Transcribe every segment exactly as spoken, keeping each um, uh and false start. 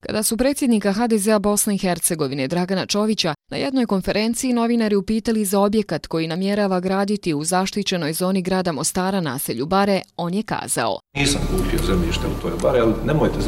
Kada su predsjednika ha de zea Bosne i Hercegovine Dragana Čovića na jednoj konferenciji novinari upitali za objekat koji namjerava graditi u zaštićenoj zoni grada Mostara naselju Bare, on je kazao: Nisam kupio zemljište u toj Bare, ali nemojte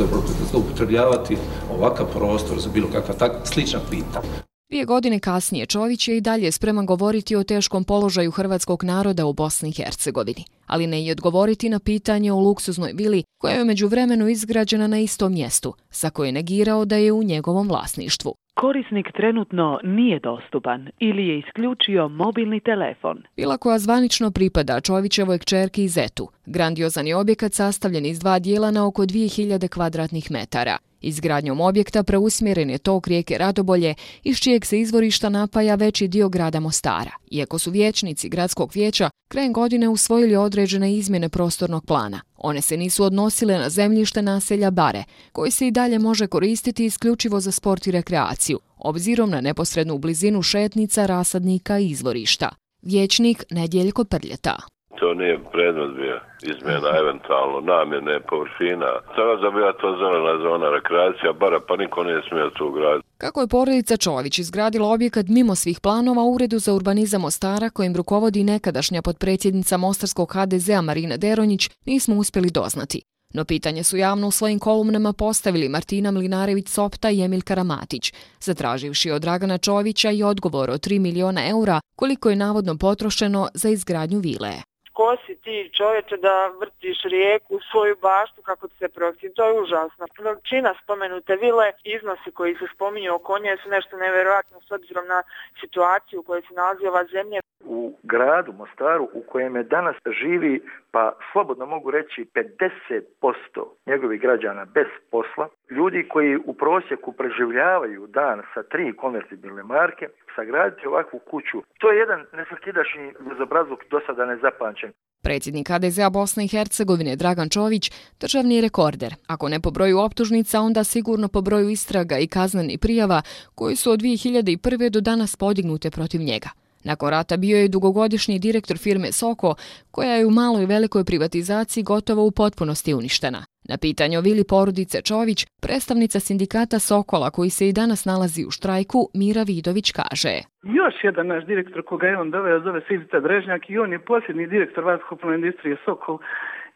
zloupotrebljavati ovakav prostor za bilo kakva takva slična pitanja. Dvije godine kasnije Čović je i dalje spreman govoriti o teškom položaju hrvatskog naroda u Bosni i Hercegovini, ali ne i odgovoriti na pitanje o luksuznoj vili koja je u međuvremenu izgrađena na istom mjestu, za koje je negirao da je u njegovom vlasništvu. Korisnik trenutno nije dostupan ili je isključio mobilni telefon. Vila koja zvanično pripada Čovićevoj kćerki i zetu. Grandiozan je objekat sastavljen iz dva dijela na oko dvije hiljade kvadratnih metara. Izgradnjom objekta preusmjeren je tok rijeke Radobolje, iz čijeg se izvorišta napaja veći dio grada Mostara. Iako su vijećnici gradskog vijeća krajem godine usvojili određene izmjene prostornog plana, one se nisu odnosile na zemljište naselja Bare, koji se i dalje može koristiti isključivo za sport i rekreaciju, obzirom na neposrednu blizinu šetnica, rasadnika i izvorišta. Vijećnik Nedjeljko Prljeta. To nije predmet bio izmjena eventualno namjene površina. Sada da bila to zelena zona rekreacija, bara pa niko nije smio tu graditi. Kako je porodica Čović izgradila objekat mimo svih planova u Uredu za urbanizam Mostara, kojim rukovodi nekadašnja potpredsjednica mostarskog ha de zea Marina Deronjić, nismo uspjeli doznati. No pitanje su javno u svojim kolumnama postavili Martina Mlinarević-Sopta i Emil Karamatić, zatraživši od Dragana Čovića i odgovor od tri miliona eura koliko je navodno potrošeno za izgradnju vile. Ko si ti, čovječe, da vrtiš rijeku u svoju baštu kako ti se prohtje? To je užasno. Veličina spomenute vile, iznosi koji se spominju oko nje su nešto nevjerojatno s obzirom na situaciju u kojoj se nalazi ova zemlja. U gradu Mostaru u kojem je danas živi, pa slobodno mogu reći pedeset posto njegovih građana bez posla, ljudi koji u prosjeku preživljavaju dan sa tri konvertibilne marke, sagraditi ovakvu kuću, to je jedan nesvakidašnji bezobrazluk do sada nezapamćen. Predsjednik ha de zea Bosne i Hercegovine Dragan Čović državni je rekorder. Ako ne po broju optužnica, onda sigurno po broju istraga i kaznenih prijava koji su od dvije hiljade prve do danas podignute protiv njega. Nakon rata bio je dugogodišnji direktor firme Soko, koja je u maloj i velikoj privatizaciji gotovo u potpunosti uništena. Na pitanje o vili porodice Čović, predstavnica sindikata Sokola, koji se i danas nalazi u štrajku, Mira Vidović kaže: Još jedan naš direktor koga je on doveo zove se Ivica Drežnjak i on je posljednji direktor vazduhoplovne industrije Sokol.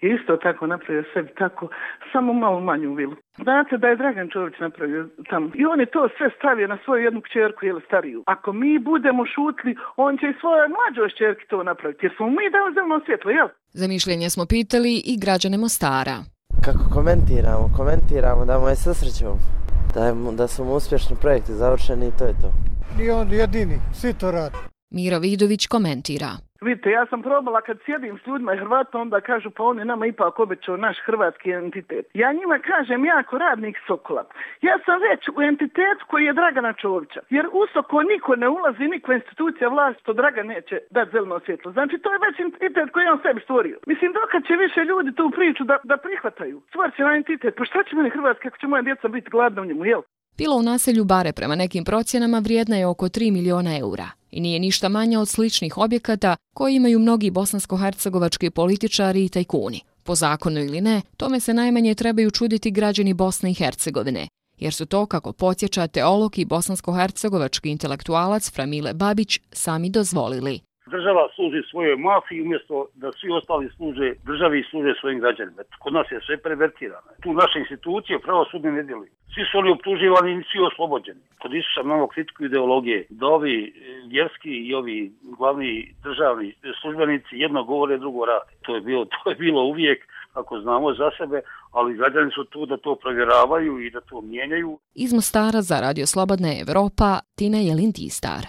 I isto tako napravio sebi tako, samo malo manju vilu. Znate da je Dragan Čović napravio tamo. I on je to sve stavio na svoju jednu kćerku ili stariju. Ako mi budemo šutli, on će i svojoj mlađoj kćerki to napraviti. Jer smo mi dali zeleno svjetlo, jel? Za mišljenje smo pitali i građane Mostara. Kako komentiramo? Komentiramo da mu je susrećemo. Da, je, da su mu uspješni projekti završeni i to je to. Nije on jedini, svi to radi. Mira Vidović komentira. Vidite, ja sam probala kad sjedim s ljudima i Hrvatima, onda kažu pa on je nama ipak obećao naš hrvatski entitet. Ja njima kažem, ja ako radnik Sokola, ja sam već u entitetu koji je Dragana Čovića. Jer u Sokol niko ne ulazi, nikakva institucija vlasti, to Dragan neće dati zeleno svjetlo. Znači, to je već entitet koji je on sebi stvorio. Mislim, dokad će više ljudi tu priču da, da prihvataju. Stvorit će na entitet, pa šta će meni Hrvatska ako će moja djeca biti gladna u njemu, jel? Vila u naselju Bare prema nekim procjenama vrijedna je oko tri miliona eura i nije ništa manja od sličnih objekata koji imaju mnogi bosansko-hercegovački političari i tajkuni. Po zakonu ili ne, tome se najmanje trebaju čuditi građani Bosne i Hercegovine, jer su to, kako podsjeća teolog i bosansko-hercegovački intelektualac Framile Babić, sami dozvolili. Država služi svojoj mafiji umjesto da svi ostali služe državi i služe svojim građanima. Kod nas je sve pervertirano. Tu naše institucije pravosudne ne djeluju. Svi su oni optuživani i svi oslobođeni. Kod Isusa imamo kritiku ideologije da ovi vjerski i ovi glavni državni službenici jedno govore, drugo rade. To je bilo, to je bilo uvijek, ako znamo za sebe, ali građani su tu da to provjeravaju i da to mijenjaju. Iz Mostara za Radio Slobodna Evropa, Tina Jelin-Tistar.